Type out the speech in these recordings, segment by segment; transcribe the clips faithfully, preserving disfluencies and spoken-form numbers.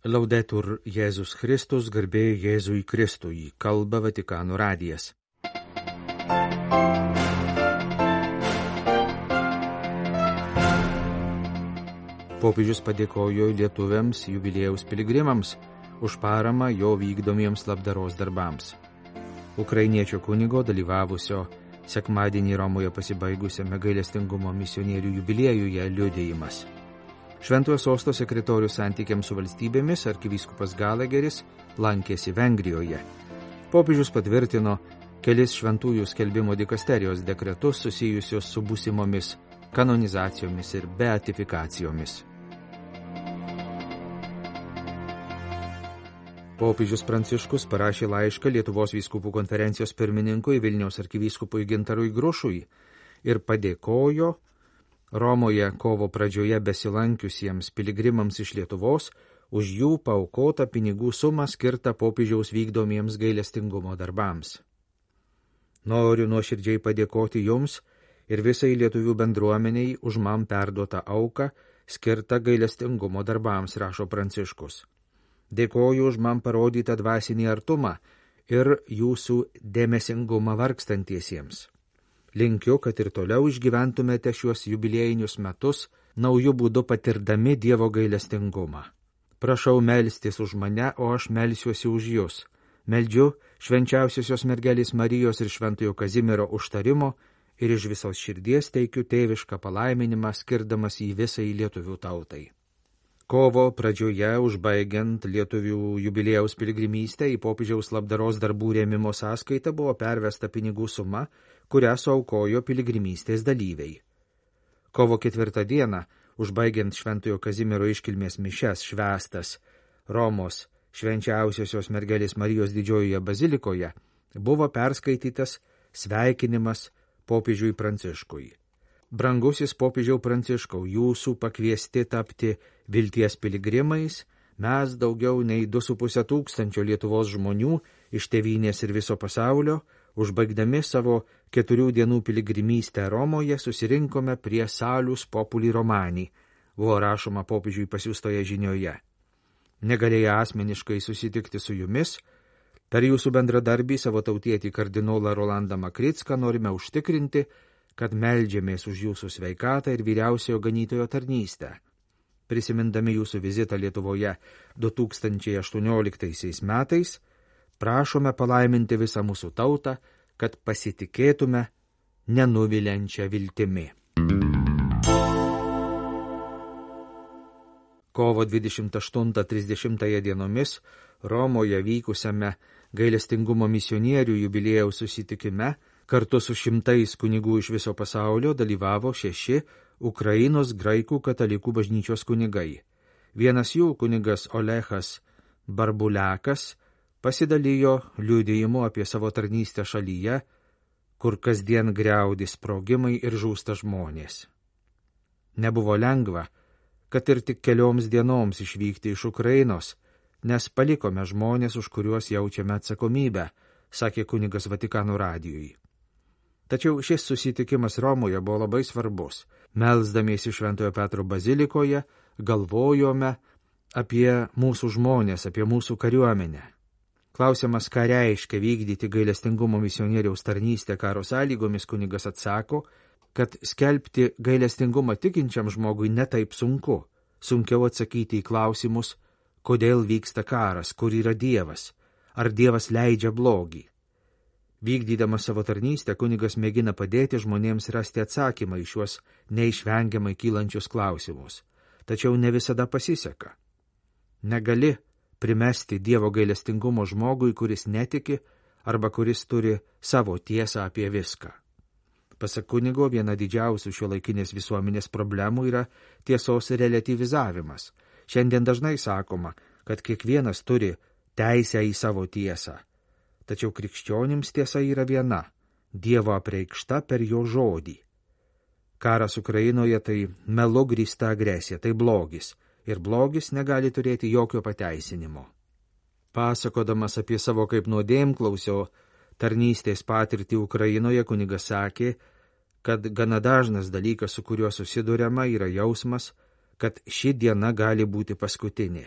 Laudetur Jėzus Kristus, garbė Jėzui Kristui, kalba Vatikano radijas. Popiežius padėkojo lietuviams jubiliejaus piligrimams už paramą jo vykdomiems labdaros darbams. Ukrainiečio kunigo dalyvavusio sekmadienį Romoje pasibaigusiame gailestingumo misionierių jubiliejuje liudijimas. Šventojo sosto sekretorius santykiams su valstybėmis arkivyskupas Galageris lankėsi Vengrijoje. Popiežius patvirtino kelis šventųjų skelbimo dikasterijos dekretus susijusios su būsimomis kanonizacijomis ir beatifikacijomis. Popiežius Pranciškus parašė laišką Lietuvos vyskupų konferencijos pirmininkui Vilniaus arkivyskupui Gintarui Grušui ir padėkojo Romoje kovo pradžioje besilankiusiems piligrimams iš Lietuvos už jų paaukotą pinigų sumą skirtą popiežiaus vykdomiems gailestingumo darbams. Noriu nuoširdžiai padėkoti jums ir visai lietuvių bendruomeniai už man perduotą auką skirtą gailestingumo darbams, rašo Pranciškus. Dėkoju už man parodytą dvasinį artumą ir jūsų dėmesingumą vargstantiesiems. Linkiu, kad ir toliau išgyventumėte šiuos jubiliejinius metus, naujų būdų patirdami Dievo gailestingumą. Prašau melstis už mane, o aš melsiuosi už jūs. Meldžiu švenčiausiosios mergelės Marijos ir šventojo Kazimiero užtarimo ir iš visos širdies teikiu tėvišką palaiminimą, skirdamas jį visai lietuvių tautai. Kovo pradžioje, užbaigiant lietuvių jubiliejaus piligrimystę, į popiežiaus labdaros darbų rėmimo sąskaitą buvo pervesta pinigų suma, kurią suaukojo piligrimystės dalyviai. Kovo ketvirtą dieną, užbaigiant šventojo Kazimiero iškilmės mišias švęstas Romos švenčiausiosios mergelės Marijos didžiojoje bazilikoje, buvo perskaitytas sveikinimas popiežiui Pranciškui. Brangusis popiežiau Pranciškau, jūsų pakviesti tapti vilties piligrimais, mes daugiau nei du su pusę tūkstančio Lietuvos žmonių iš tėvynės ir viso pasaulio, užbaigdami savo keturių dienų piligrimystę Romoje, susirinkome prie Salus Populi Romani, buvo rašoma popiežiui pasiųstoje žinioje. Negalėję asmeniškai susitikti su jumis, per jūsų bendradarbį savo tautietį kardinolą Rolandą Makricką norime užtikrinti, kad meldžiamės už jūsų sveikatą ir vyriausiojo ganytojo tarnystę. Prisimindami jūsų vizitą Lietuvoje du tūkstančiai aštuonioliktaisiais metais, prašome palaiminti visą mūsų tautą, kad pasitikėtume nenuviliančią viltimi. Kovo dvidešimt aštuntą trisdešimtą dienomis Romoje vykusiame gailestingumo misionierių jubiliejaus susitikime kartu su šimtais kunigų iš viso pasaulio dalyvavo šeši Ukrainos graikų katalikų bažnyčios kunigai. Vienas jų, kunigas Olechas Barbuliakas, pasidalijo liudijimu apie savo tarnystę šalyje, kur kasdien griaudi sprogimai ir žūsta žmonės. Nebuvo lengva, kad ir tik kelioms dienoms išvykti iš Ukrainos, nes palikome žmonės, už kuriuos jaučiame atsakomybę, sakė kunigas Vatikano radijui. Tačiau šis susitikimas Romoje buvo labai svarbus. Melsdamiesi Šventojo Petro bazilikoje, galvojome apie mūsų žmonės, apie mūsų kariuomenę. Klausiamas, ką reiškia vykdyti gailestingumo misionieriaus tarnystę karo sąlygomis, kunigas atsako, kad skelbti gailestingumą tikinčiam žmogui netaip sunku. Sunkiau atsakyti į klausimus, kodėl vyksta karas, kur yra Dievas, ar Dievas leidžia blogį. Vykdydamas savo tarnystę, kunigas mėgina padėti žmonėms rasti atsakymą į šiuos neišvengiamai kylančius klausimus. Tačiau ne visada pasiseka. Negali primesti Dievo gailestingumo žmogui, kuris netiki arba kuris turi savo tiesą apie viską. Pasak kunigo, viena didžiausių šiuolaikinės visuomenės problemų yra tiesos relativizavimas. Šiandien dažnai sakoma, kad kiekvienas turi teisę į savo tiesą. Tačiau krikščionims tiesa yra viena – Dievo apreikšta per jo žodį. Karas Ukrainoje tai melu grįsta agresija, tai blogis, ir blogis negali turėti jokio pateisinimo. Pasakodamas apie savo kaip nuodėmklausio tarnystės patirtį Ukrainoje, kunigas sakė, kad gana dažnas dalykas, su kuriuo susiduriama, yra jausmas, kad ši diena gali būti paskutinė.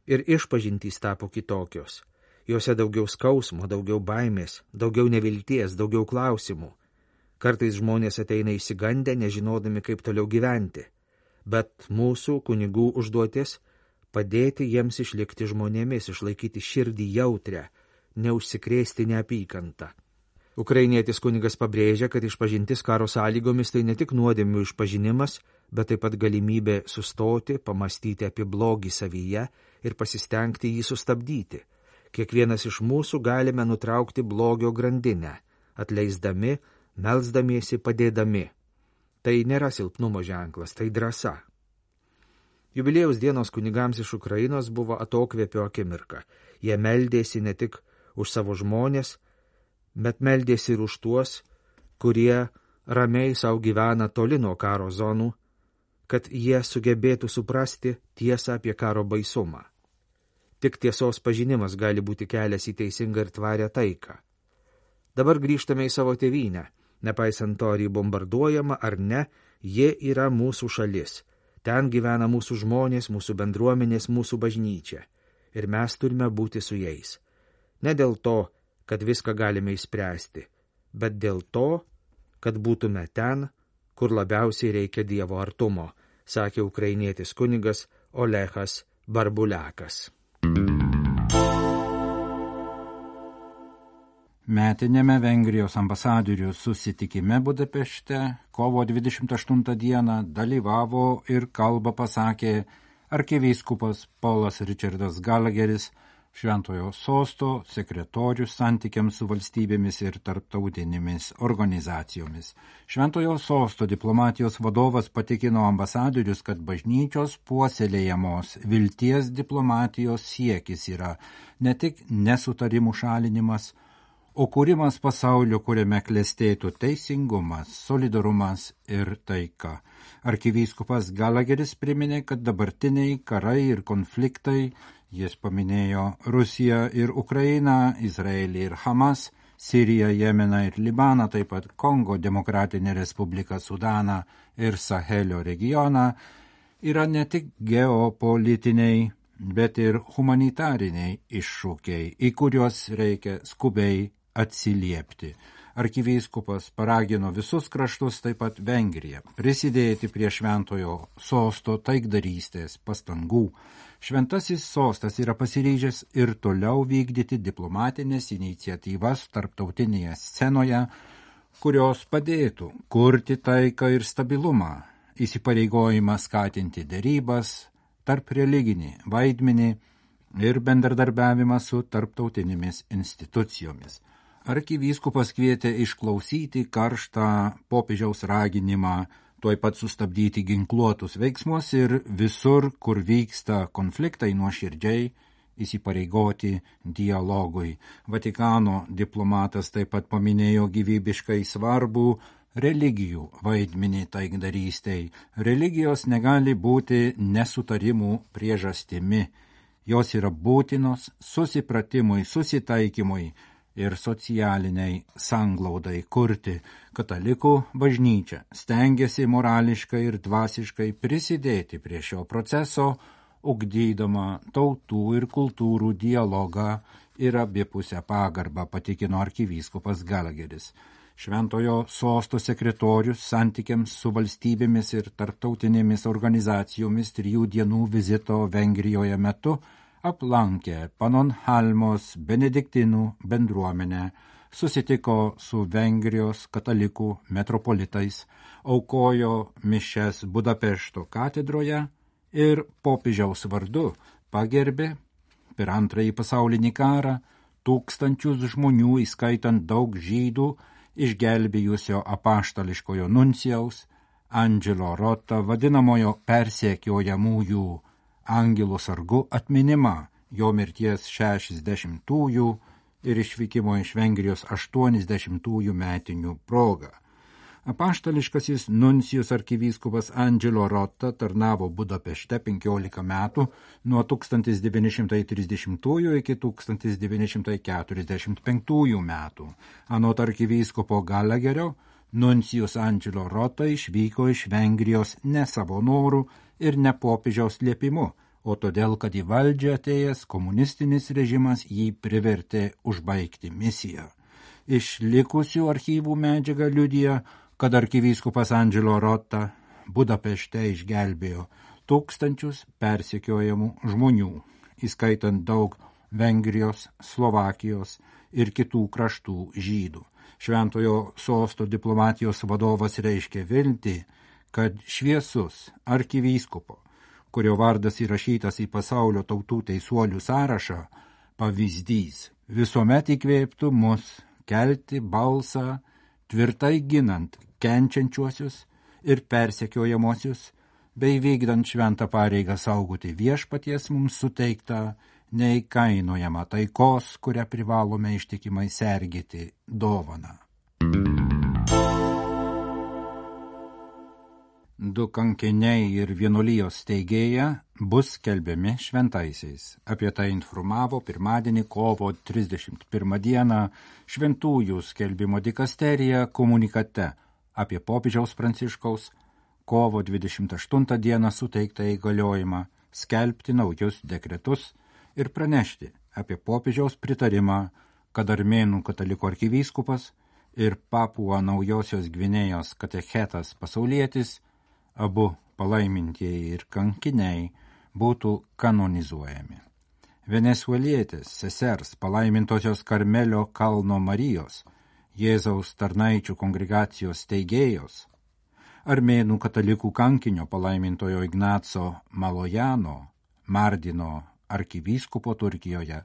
Ir išpažintys tapo kitokios. Juose daugiau skausmo, daugiau baimės, daugiau nevilties, daugiau klausimų. Kartais žmonės ateina išsigandę, nežinodami, kaip toliau gyventi. Bet mūsų kunigų užduotis – padėti jiems išlikti žmonėmis, išlaikyti širdį jautrę, neužsikrėsti neapykantą. Ukrainietis kunigas pabrėžia, kad išpažintis karo sąlygomis tai ne tik nuodėmių išpažinimas, bet taip pat galimybė sustoti, pamastyti apie blogį savyje ir pasistengti jį sustabdyti. Kiekvienas iš mūsų galime nutraukti blogio grandinę, atleisdami, melsdamiesi, padėdami. Tai nėra silpnumo ženklas, tai drąsa. Jubiliejaus dienos kunigams iš Ukrainos buvo atokvėpio akimirka. Jie meldėsi ne tik už savo žmonės, bet meldėsi ir už tuos, kurie ramiai savo gyvena toli nuo karo zonų, kad jie sugebėtų suprasti tiesą apie karo baisumą. Tik tiesos pažinimas gali būti kelias į teisingą ir tvarę taiką. Dabar grįžtame į savo tėvynę. Nepaisant to, ar jį bombarduojama ar ne, jie yra mūsų šalis. Ten gyvena mūsų žmonės, mūsų bendruomenės, mūsų bažnyčia. Ir mes turime būti su jais. Ne dėl to, kad viską galime išspręsti, bet dėl to, kad būtume ten, kur labiausiai reikia Dievo artumo, sakė ukrainietis kunigas Olechas Barbuliakas. Metinėme Vengrijos ambasadorių susitikime Budapešte kovo dvidešimt aštuntą dieną dalyvavo ir kalbą pasakė arkivyskupas Polas Richardas Gallagheris, Šventojo sosto sekretorius santykiams su valstybėmis ir tarptautinėmis organizacijomis. Šventojo sosto diplomatijos vadovas patikino ambasadorius, kad bažnyčios puoselėjamos vilties diplomatijos siekis yra ne tik nesutarimų šalinimas, o kūrimas pasaulio, kuriame klestėtų teisingumas, solidarumas ir taika. Arkivyskupas Gallagheris priminė, kad dabartiniai karai ir konfliktai, jis paminėjo Rusiją ir Ukrainą, Izraelį ir Hamas, Siriją, Jemeną ir Libaną, taip pat Kongo Demokratinę Respubliką, Sudaną ir Sahelio regioną, yra ne tik geopolitiniai, bet ir humanitariniai iššūkiai, į kuriuos reikia skubiai atsiliepti. Arkivyskupas paragino visus kraštus, taip pat Vengriją, prisidėti prie Šventojo sosto taikdarystės pastangų. Šventasis sostas yra pasiryžęs ir toliau vykdyti diplomatinės iniciatyvas tarptautinėje scenoje, kurios padėtų kurti taiką ir stabilumą, įsipareigojimą skatinti derybas, tarp religinį vaidmenį ir bendradarbiavimą su tarptautinėmis institucijomis. Arkivyskupas kvietė išklausyti karštą popiežiaus raginimą tuoj pat sustabdyti ginkluotus veiksmus ir visur, kur vyksta konfliktai, nuoširdžiai įsipareigoti dialogui. Vatikano diplomatas taip pat paminėjo gyvybiškai svarbų religijų vaidmenį taikdarystei. Religijos negali būti nesutarimų priežastimi. Jos yra būtinos susipratimui, susitaikymui ir socialiniai sanglaudai kurti. Katalikų bažnyčia stengiasi morališkai ir dvasiškai prisidėti prie šio proceso, ugdydama tautų ir kultūrų dialogą ir abipusę pagarbą, patikino arkivyskupas Gallagheris. Šventojo sosto sekretorius santykiams su valstybėmis ir tarptautinėmis organizacijomis trijų dienų vizito Vengrijoje metu aplankė Panonhalmos benediktinų bendruomenę, susitiko su Vengrijos katalikų metropolitais, aukojo mišias Budapešto katedroje ir popiežiaus vardu pagerbė per antrąjį pasaulinį karą tūkstančius žmonių, įskaitant daug žydų, išgelbėjusio apaštališkojo nuncijaus Angelo Rota, vadinamojo persekiojamųjų angelų sargu atminimą, jo mirties šešiasdešimtųjų ir išvykimo iš Vengrijos aštuoniasdešimtųjų metinių proga. Apaštališkasis nuncijus arkivyskupas Angelo Rota tarnavo Budapešte penkiolika metų nuo tūkstantis devyni šimtai trisdešimtųjų iki tūkstantis devyni šimtai keturiasdešimt penktųjų metų. Anot arkivyskupo Gallagherio, nuncijus Angelo Rota išvyko iš Vengrijos ne savo norų ir ne popiežiaus liepimu, o todėl, kad į valdžią atėjęs komunistinis režimas jį privertė užbaigti misiją. Iš likusių archyvų medžiaga liudija, kad arkivyskupas Angelo Rotta Budapešte išgelbėjo tūkstančius persekiojamų žmonių, įskaitant daug Vengrijos, Slovakijos ir kitų kraštų žydų. Šventojo sosto diplomatijos vadovas reiškia viltį, kad šviesus arkivyskupo, kurio vardas įrašytas į pasaulio tautų teisuolių sąrašą, pavyzdys visuomet įkvėptų mus kelti balsą, tvirtai ginant kenčiančiuosius ir persekiojamosius, bei vykdant šventą pareigą saugoti viešpaties mums suteiktą neįkainojamą taikos, kurią privalome ištikimai sergėti dovaną. Du kankiniai ir vienuolijos steigėja bus skelbiami šventaisiais. Apie tai informavo pirmadienį kovo trisdešimt pirmą dieną šventųjų skelbimo dikasterija komunikate apie popiežiaus Pranciškaus kovo dvidešimt aštuntą dieną suteiktą įgaliojimą skelbti naujus dekretus ir pranešti apie popiežiaus pritarimą, kad Armėnų katalikų arkivyskupas ir Papua Naujosios Gvinėjos katechetas pasaulietis, abu palaimintieji ir kankiniai, būtų kanonizuojami. Venesuelietės sesers palaimintosios Karmelio kalno Marijos, Jėzaus tarnaičių kongregacijos steigėjos, Armėnų katalikų kankinio palaimintojo Ignaco Malojano, Mardino arkivyskupo Turkijoje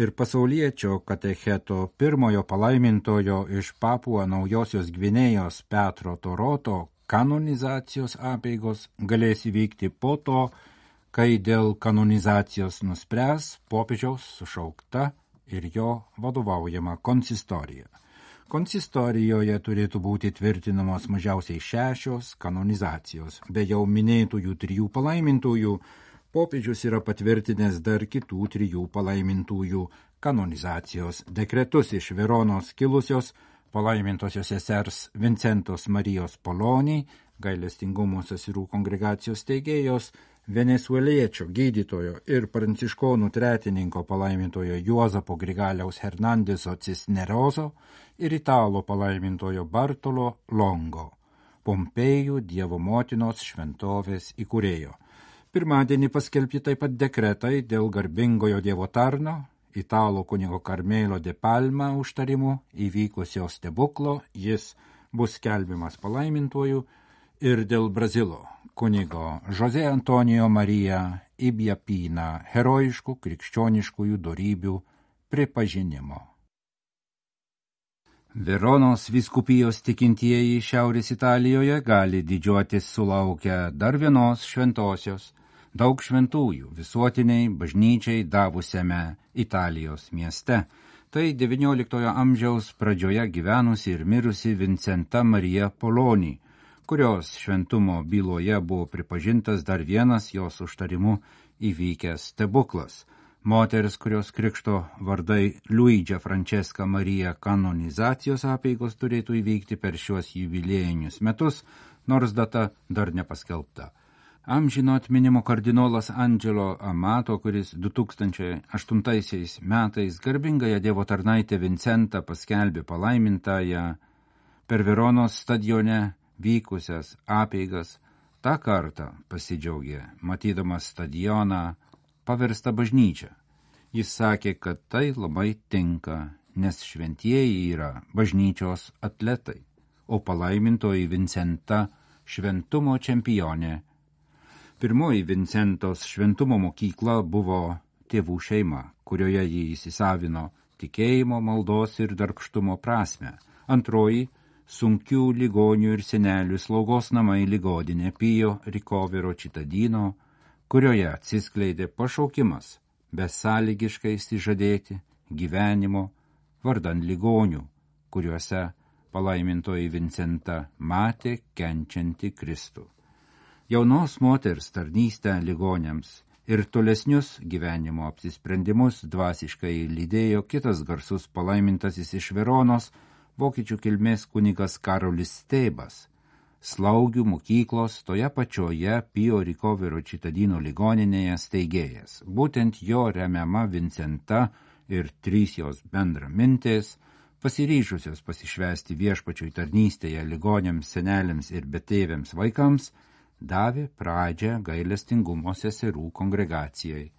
ir pasauliečio katecheto pirmojo palaimintojo iš Papua Naujosios Gvinėjos Petro Toroto kanonizacijos apeigos galės įvykti po to, kai dėl kanonizacijos nuspręs popiežiaus sušaukta ir jo vadovaujama konsistorija. Konsistorijoje turėtų būti tvirtinamos mažiausiai šešios kanonizacijos. Be jau minėtųjų trijų palaimintųjų, popiežius yra patvirtinęs dar kitų trijų palaimintųjų kanonizacijos dekretus iš Veronos kilusios palaimintosios sesers Vincentos Marijos Polonį, gailestingumo seserų kongregacijos steigėjos, venesueliečio gydytojo ir pranciškonų tretininko palaimintojo Juozapo Grigaliaus Hernandeso Cisnerozo ir italo palaimintojo Bartolo Longo, Pompėjų Dievo motinos šventovės įkūrėjo. Pirmadienį paskelbti taip pat dekretai dėl garbingojo Dievo tarno, italo kunigo Karmelo de Palma užtarimu įvykusio stebuklo, jis bus skelbiamas palaimintuoju, ir dėl Brazilo kunigo José Antonijo Marija Ibiapina herojiškų krikščioniškųjų dorybių pripažinimo. Veronos vyskupijos tikintieji Šiaurės Italijoje gali didžiuotis sulaukę dar vienos šventosios, daug šventųjų visuotiniai bažnyčiai davusiame Italijos mieste. Tai devynioliktojo amžiaus pradžioje gyvenusi ir mirusi Vincenta Marija Polonį, kurios šventumo byloje buvo pripažintas dar vienas jos užtarimu įvykęs stebuklas. Moteris, kurios krikšto vardai Luidžia Francesca Marija kanonizacijos apeigos turėtų įvykti per šiuos jubiliejinius metus, nors data dar nepaskelbta. Amžino atminimo kardinolas Angelo Amato, kuris du tūkstančiai aštuntaisiais metais garbingąją Dievo tarnaitę Vincentą paskelbė palaimintąją per Veronos stadione vykusias apeigas, tą kartą pasidžiaugė, matydamas stadioną paverstą bažnyčią. Jis sakė, kad tai labai tinka, nes šventieji yra bažnyčios atletai, o palaimintoji Vincenta šventumo čempionė. Pirmoji Vincentos šventumo mokykla buvo tėvų šeima, kurioje jį įsisavino tikėjimo, maldos ir darbštumo prasme. Antroji sunkių ligonių ir senelių slaugos namai ligodinė Pio Ricovero Cittadino, kurioje atsiskleidė pašaukimas besąlygiškai išsižadėti gyvenimo vardan ligonių, kuriuose palaimintoji Vincenta matė kenčiantį Kristų. Jaunos moters tarnystę ligoniams ir tolesnius gyvenimo apsisprendimus dvasiškai lydėjo kitas garsus palaimintasis iš Veronos, vokiečių kilmės kunigas Karolis Stebas. slaugių mokyklos toje pačioje Pio Ricovero Cittadino ligoninėje steigėjas. Būtent jo remiama Vincenta ir trys jos bendramintės, pasiryžusios pasišvesti viešpačiui tarnystėje ligoniams, seneliams ir betėviams vaikams, davė pradžią gailestingumo seserų kongregacijai.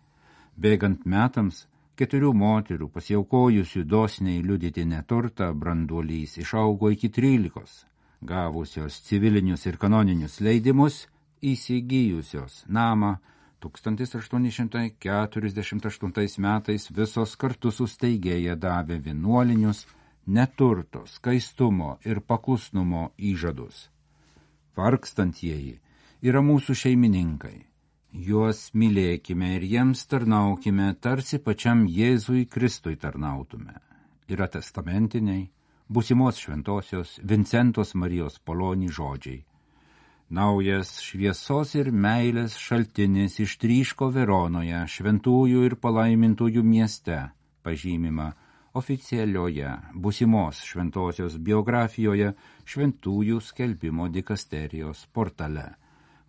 Bėgant metams, keturių moterų pasiaukojusių dosniai liudyti neturtą branduolys išaugo iki trylikos, gavusios civilinius ir kanoninius leidimus, įsigijusios namą. tūkstantis aštuoni šimtai keturiasdešimt aštuntais metais visos kartu su steigėja davė vienuolinius neturto, skaistumo ir paklusnumo įžadus. Vargstantieji yra mūsų šeimininkai. Juos mylėkime ir jiems tarnaukime, tarsi pačiam Jėzui Kristui tarnautume. Yra testamentiniai, būsimos šventosios Vincentos Marijos Poloni žodžiai. Naujas šviesos ir meilės šaltinis ištryško Veronoje, šventųjų ir palaimintųjų mieste, pažymima oficialioje būsimos šventosios biografijoje šventųjų skelbimo dikasterijos portale.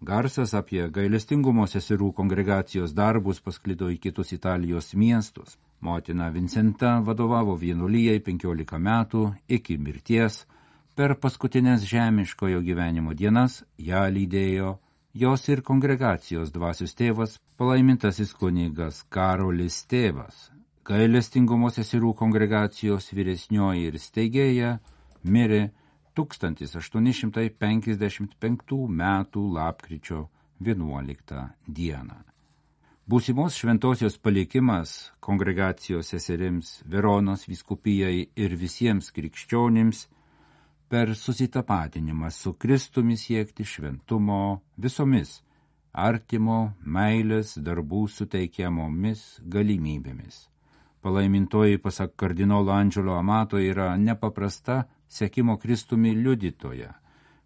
Garsas apie gailestingumo seserų kongregacijos darbus pasklido į kitus Italijos miestus. Motina Vincenta vadovavo vienuolijai penkiolika metų iki mirties. Per paskutinės žemiškojo gyvenimo dienas ją lydėjo jos ir kongregacijos dvasios tėvas, palaimintasis kunigas Karolis Tėvas. Gailestingumo seserų kongregacijos vyresnioji ir steigėja mirė tūkstantis aštuoni šimtai penkiasdešimt penktų metų lapkričio vienuoliktą dieną. Būsimos šventosios palikimas kongregacijos seserims, Veronos vyskupijai ir visiems krikščionims per susitapatinimą su Kristumi siekti šventumo visomis artimo meilės darbų suteikiamomis galimybėmis. Palaimintoji, pasak kardinolo Andželo Amato, yra nepaprasta sekimo Kristumi liudytoja.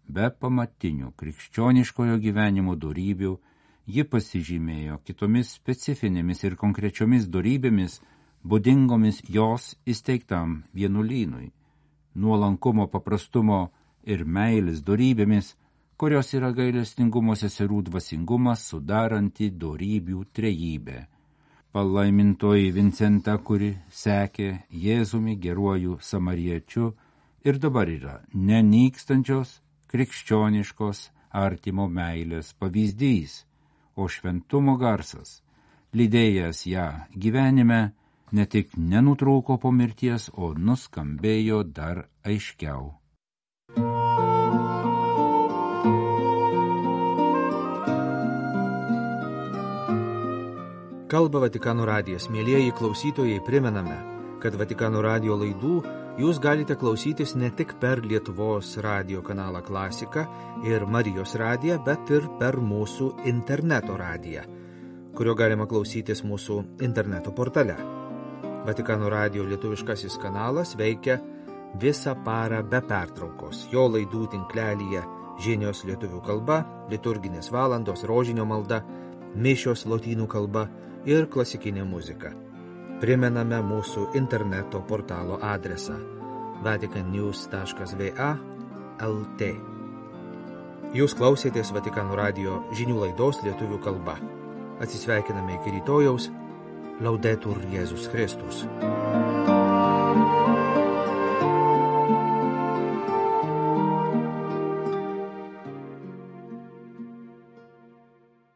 Be pamatinių krikščioniškojo gyvenimo dorybių ji pasižymėjo kitomis specifinėmis ir konkrečiomis dorybėmis, būdingomis jos įsteigtam vienuolynui. Nuolankumo, paprastumo ir meilės dorybėmis, kurios yra gailestingumo seserų dvasingumas sudaranti dorybių trejybę. Palaimintoji Vincenta, kuri sekė Jėzumi geruoju samariečiu ir dabar yra nenykstančios krikščioniškos artimo meilės pavyzdys, o šventumo garsas, lydėjęs ją gyvenime, ne tik nenutrūko po mirties, o nuskambėjo dar aiškiau. Kalba Vatikano radijas. Mielieji klausytojai, primename, kad Vatikano radijo laidų jūs galite klausytis ne tik per Lietuvos radijo kanalą Klasika ir Marijos radiją, bet ir per mūsų interneto radiją, kurio galima klausytis mūsų interneto portale. Vatikano radijo lietuviškasis kanalas veikia visą parą be pertraukos. Jo laidų tinklelyje žinios lietuvių kalba, liturginės valandos, rožinio malda, mišios lotynų kalba ir klasikinė muzika. Primename mūsų interneto portalo adresą vatican news taškas v a el t. Jūs klausėtės Vatikano radijo žinių laidos lietuvių kalba. Atsisveikiname iki rytojaus. Laudetur Jėzus Kristus.